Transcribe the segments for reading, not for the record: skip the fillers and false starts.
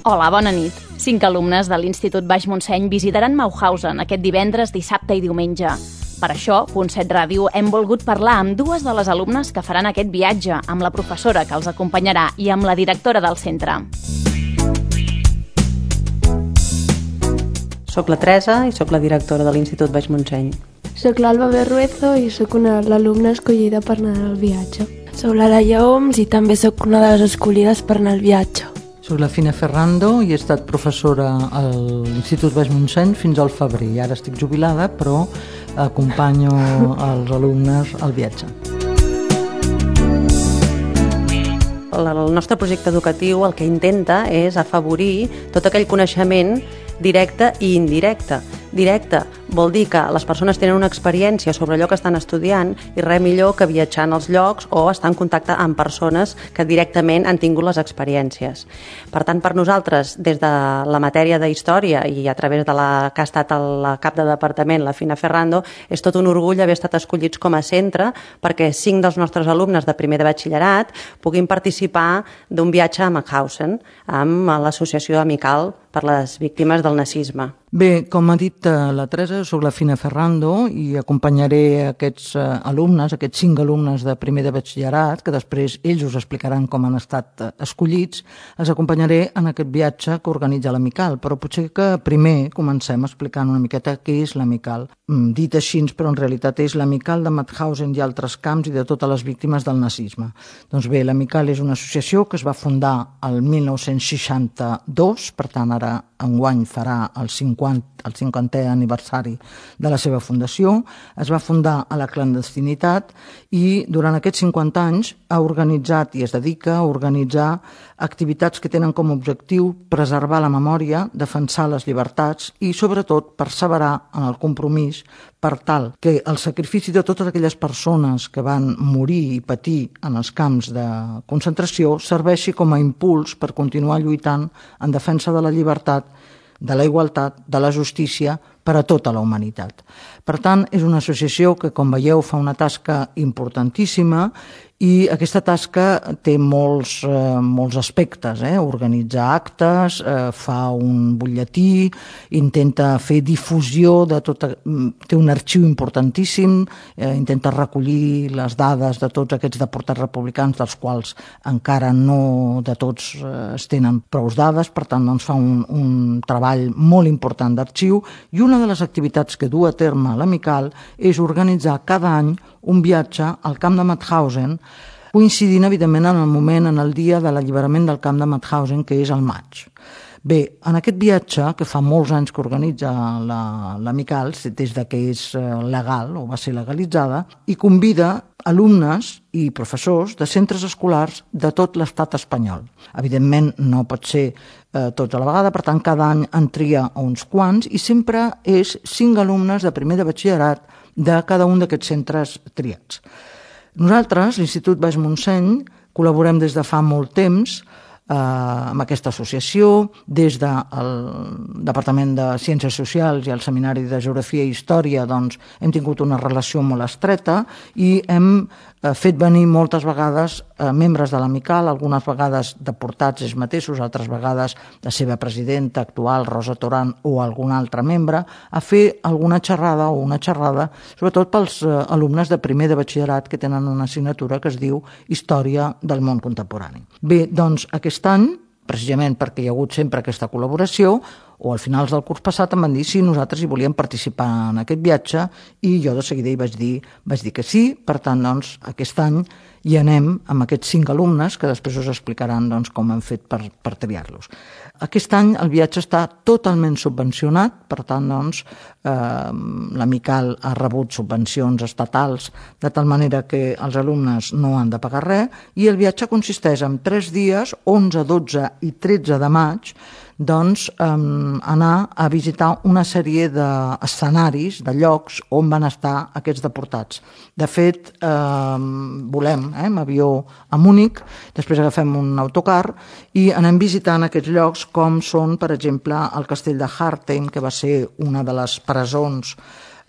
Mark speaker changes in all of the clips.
Speaker 1: Hola, bona nit. 5 alumnes de l'Institut Baix Montseny visitaran Mauthausen aquest divendres, dissabte i diumenge. Per això, Punt7 Ràdio hem volgut parlar amb 2 de les alumnes que faran aquest viatge, amb la professora que els acompanyarà i amb la directora del centre.
Speaker 2: Soc la Teresa i soc la directora de l'Institut Baix Montseny.
Speaker 3: Soc l'Alba Berruezo i soc una de l'alumna escollida per anar al viatge.
Speaker 4: Soc la Laia Oms i també soc una de les escollides per anar al viatge.
Speaker 5: Soc la Fina Ferrando i he estat professora a l'Institut Baix Montseny fins al febrer. Ara estic jubilada, però acompanyo els alumnes al viatge.
Speaker 2: El nostre projecte educatiu el que intenta és afavorir tot aquell coneixement directe i indirecte. Directe vol dir que les persones tenen una experiència sobre allò que estan estudiant i res millor que viatjar als llocs o estar en contacte amb persones que directament han tingut les experiències. Per tant, per nosaltres, des de la matèria de història i a través de la que ha estat la cap de departament, la Fina Ferrando, és tot un orgull haver estat escollits com a centre perquè 5 dels nostres alumnes de primer de batxillerat puguin participar d'un viatge a Mauthausen amb l'associació amical per les víctimes del nazisme.
Speaker 5: Bé, com ha dit la Teresa, soc la Fina Ferrando i acompanyaré aquests alumnes, aquests 5 alumnes de primer de batxillerat, que després ells us explicaran com han estat escollits, els acompanyaré en aquest viatge que organitza l'Amical, però potser que primer comencem explicant una miqueta què és l'Amical. Dit així, però en realitat és l'Amical de Mauthausen i altres camps i de totes les víctimes del nazisme. Doncs bé, l'Amical és una associació que es va fundar el 1962, per tant ara enguany farà el 50è aniversari de la seva fundació. Es va fundar a la clandestinitat i durant aquests 50 anys ha organitzat i es dedica a organitzar activitats que tenen com a objectiu preservar la memòria, defensar les llibertats i sobretot perseverar en el compromís per tal que el sacrifici de totes aquelles persones que van morir i patir en els camps de concentració serveixi com a impuls per continuar lluitant en defensa de la llibertat, de la igualtat, de la justícia per a tota la humanitat. Per tant, és una associació que, com veieu, fa una tasca importantíssima i aquesta tasca té molts aspectes. Organitzar actes, fa un butlletí, intenta fer difusió de tot, té un arxiu importantíssim, intenta recollir les dades de tots aquests deportats republicans, dels quals encara no de tots es tenen prou dades, per tant doncs, fa un treball molt important d'arxiu i una de les activitats que du a terme l'Amical és organitzar cada any un viatge al camp de Mauthausen, coincidint evidentment en el moment, en el dia de l'alliberament del camp de Mauthausen, que és el maig. Bé, en aquest viatge, que fa molts anys que organitza l'Amical, des que és legal o va ser legalitzada, i convida alumnes i professors de centres escolars de tot l'estat espanyol. Evidentment no pot ser tots a la vegada, per tant cada any en tria uns quants i sempre és 5 alumnes de primer de batxillerat de cada un d'aquests centres triats. Nosaltres, l'Institut Baix Montseny, col·laborem des de fa molt temps amb aquesta associació, des del Departament de Ciències Socials i el Seminari de Geografia i Història doncs, hem tingut una relació molt estreta i hem fet venir moltes vegades membres de l'Amical, algunes vegades deportats ells mateixos, altres vegades la seva presidenta actual, Rosa Toran, o algun altre membre, a fer alguna xerrada o una xerrada, sobretot pels alumnes de primer de batxillerat que tenen una assignatura que es diu Història del món contemporani. Bé, doncs aquest any, precisament perquè hi ha hagut sempre aquesta col·laboració, o al finals del curs passat em van dir si nosaltres hi volíem participar en aquest viatge i jo de seguida hi vaig dir que sí, per tant doncs aquest any hi anem amb aquests 5 alumnes que després us explicaran doncs, com hem fet per triar-los. Aquest any el viatge està totalment subvencionat, per tant doncs, l'Amical ha rebut subvencions estatals de tal manera que els alumnes no han de pagar res i el viatge consisteix en 3 dies, 11, 12 i 13 de maig, doncs anar a visitar una sèrie d'escenaris, de llocs on van estar aquests deportats. De fet, volem amb avió a Múnich, després agafem un autocar i anem visitant aquests llocs com són, per exemple, el castell de Hartheim, que va ser una de les presons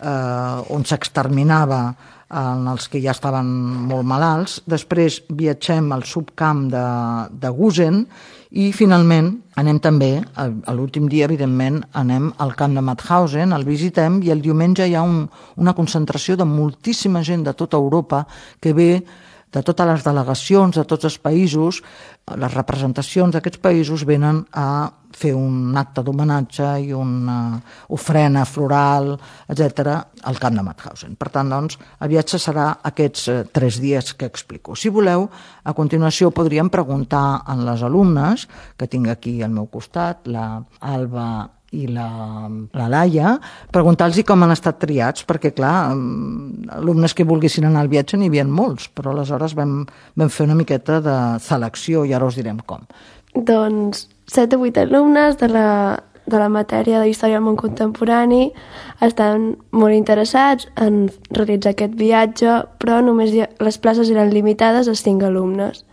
Speaker 5: on s'exterminava en els que ja estaven molt malalts. Després viatgem al subcamp de Gusen I finalment anem també, a l'últim dia evidentment, anem al camp de Mauthausen, el visitem i el diumenge hi ha una concentració de moltíssima gent de tota Europa que ve de totes les delegacions, de tots els països, les representacions d'aquests països venen a fer un acte d'homenatge i una ofrena floral, etc., al camp de Mauthausen. Per tant, doncs, el viatge serà aquests 3 dies que explico. Si voleu, a continuació podríem preguntar a les alumnes, que tinc aquí al meu costat, la Alba i la Laia, preguntar-los com han estat triats, perquè, clar, alumnes que volguessin anar al viatge n'hi havia molts, però aleshores vam fer una miqueta de selecció i ara us direm com.
Speaker 3: Doncs 7 o 8 alumnes de la matèria de Història del Món Contemporani estan molt interessats en realitzar aquest viatge, però només les places eren limitades a 5 alumnes.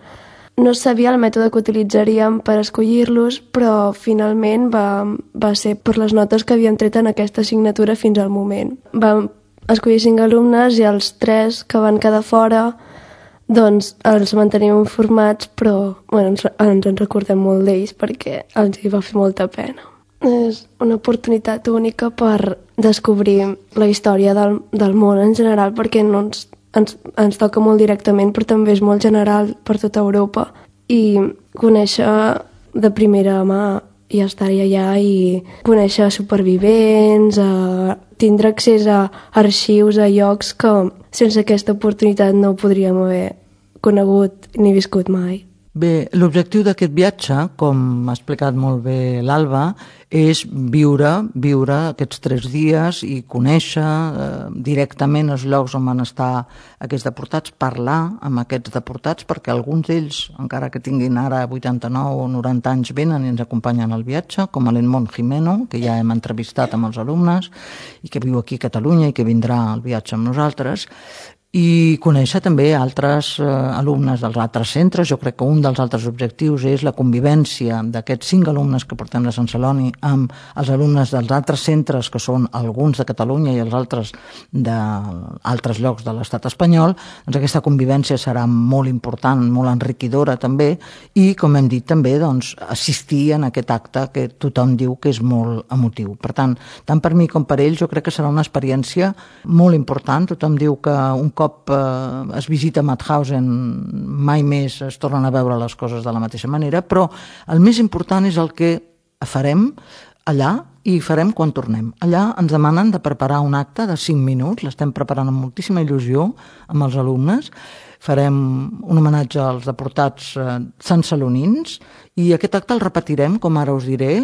Speaker 3: No sabia el mètode que utilitzaríem per escollir-los, però finalment va ser per les notes que havíem tret en aquesta assignatura fins al moment. Vam escollir 5 alumnes i els 3 que van quedar fora doncs els mantenim informats, però ens en recordem molt d'ells perquè els hi va fer molta pena. És una oportunitat única per descobrir la història del món en general, perquè no ens toca molt directament, però també és molt general per tota Europa, i conèixer de primera mà i estar allà i conèixer supervivents, tindre accés a arxius, a llocs que sense aquesta oportunitat no podríem haver conegut ni viscut mai.
Speaker 5: Bé, l'objectiu d'aquest viatge, com ha explicat molt bé l'Alba, és viure aquests 3 dies i conèixer directament els llocs on van estar aquests deportats, parlar amb aquests deportats, perquè alguns d'ells, encara que tinguin ara 89 o 90 anys, venen i ens acompanyen al viatge, com l'Edmond Jimeno, que ja hem entrevistat amb els alumnes i que viu aquí a Catalunya i que vindrà al viatge amb nosaltres, i conèixer també altres alumnes dels altres centres. Jo crec que un dels altres objectius és la convivència d'aquests 5 alumnes que portem de Sant Celoni amb els alumnes dels altres centres, que són alguns de Catalunya i els altres d'altres llocs de l'estat espanyol. Doncs aquesta convivència serà molt important, molt enriquidora també, i com hem dit també, doncs, assistir en aquest acte que tothom diu que és molt emotiu. Per tant per mi com per ells, jo crec que serà una experiència molt important. Tothom diu que un cop es visita Mauthausen mai més es tornen a veure les coses de la mateixa manera, però el més important és el que farem allà i farem quan tornem. Allà ens demanen de preparar un acte de 5 minuts, l'estem preparant amb moltíssima il·lusió amb els alumnes. Farem un homenatge als deportats santcelonins i aquest acte el repetirem, com ara us diré,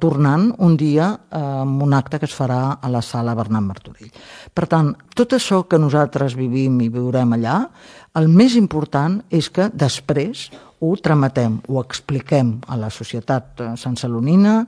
Speaker 5: tornant un dia amb un acte que es farà a la sala Bernat Martorell. Per tant, tot això que nosaltres vivim i viurem allà, el més important és que després ho trametem, ho expliquem a la societat santcelonina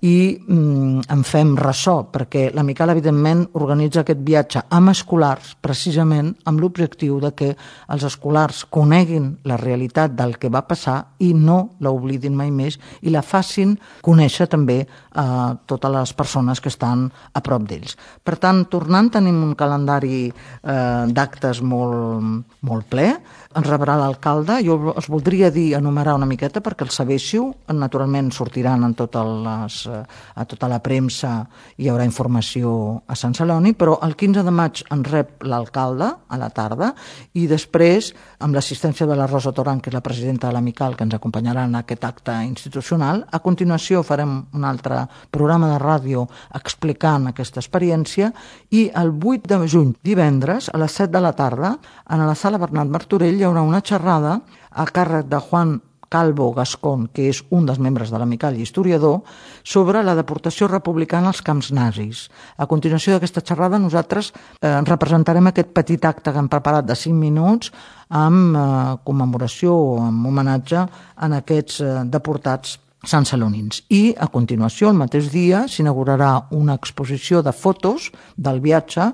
Speaker 5: i en fem ressò, perquè la Miquel, evidentment, organitza aquest viatge amb escolars, precisament amb l'objectiu de que els escolars coneguin la realitat del que va passar i no l'oblidin mai més i la facin conèixer també a totes les persones que estan a prop d'ells. Per tant, tornant, tenim un calendari d'actes molt ple. Ens rebrà l'alcalde. Jo us voldria enumerar una miqueta perquè els sabéssiu. Naturalment sortiran a tota la premsa, hi haurà informació a Sant Celoni, però el 15 de maig ens rep l'alcalde a la tarda i després, amb l'assistència de la Rosa Torrent, que és la presidenta de l'Amical, que ens acompanyarà en aquest acte institucional. A continuació farem un altre programa de ràdio explicant aquesta experiència i el 8 de juny, divendres, a les 7 de la tarda, a la sala Bernat Martorell hi haurà una xerrada a càrrec de Juan Calvo Gascón, que és un dels membres de l'Amical i historiador, sobre la deportació republicana als camps nazis. A continuació d'aquesta xerrada nosaltres representarem aquest petit acte que hem preparat de 5 minuts amb commemoració o amb homenatge en aquests deportats santcelonins. I a continuació, el mateix dia, s'inaugurarà una exposició de fotos del viatge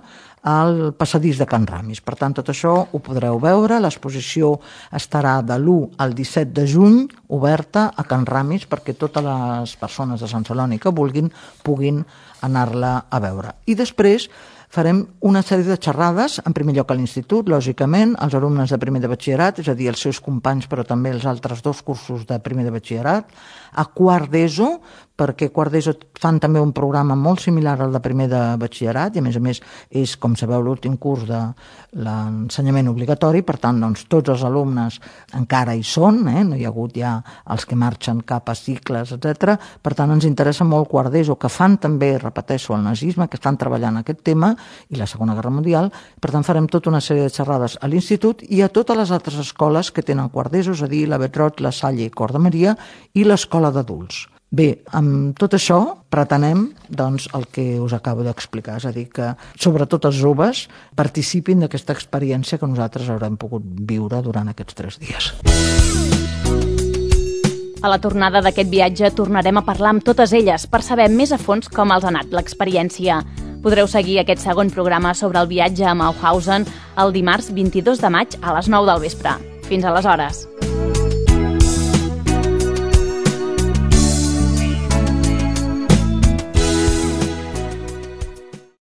Speaker 5: al passadís de Can Ramis. Per tant, tot això ho podreu veure. L'exposició estarà de l'1 al 17 de juny oberta a Can Ramis perquè totes les persones de Sant Celoni que vulguin puguin anar-la a veure. I després farem una sèrie de xerrades, en primer lloc a l'institut, lògicament, els alumnes de primer de batxillerat, és a dir, els seus companys, però també els altres 2 cursos de primer de batxillerat, a quart d'ESO, perquè quart d'ESO fan també un programa molt similar al de primer de batxillerat i a més és, com sabeu, l'últim curs de l'ensenyament obligatori, per tant, doncs, tots els alumnes encara hi són, no hi ha hagut ja els que marxen cap a cicles, etc. Per tant, ens interessa molt quart d'ESO, que fan també, repeteixo, el nazisme, que estan treballant aquest tema, i la Segona Guerra Mundial. Per tant, farem tota una sèrie de xerrades a l'institut i a totes les altres escoles que tenen quart d'ESO, és a dir, la Betrot, la Salle i Cor de Maria i l'escola d'adults. Bé, amb tot això pretenem doncs, el que us acabo d'explicar, és a dir, que sobretot els joves participin d'aquesta experiència que nosaltres haurem pogut viure durant aquests 3 dies.
Speaker 1: A la tornada d'aquest viatge tornarem a parlar amb totes elles per saber més a fons com els ha anat l'experiència. Podreu seguir aquest segon programa sobre el viatge a Mauthausen el dimarts 22 de maig a les 9 del vespre. Fins aleshores.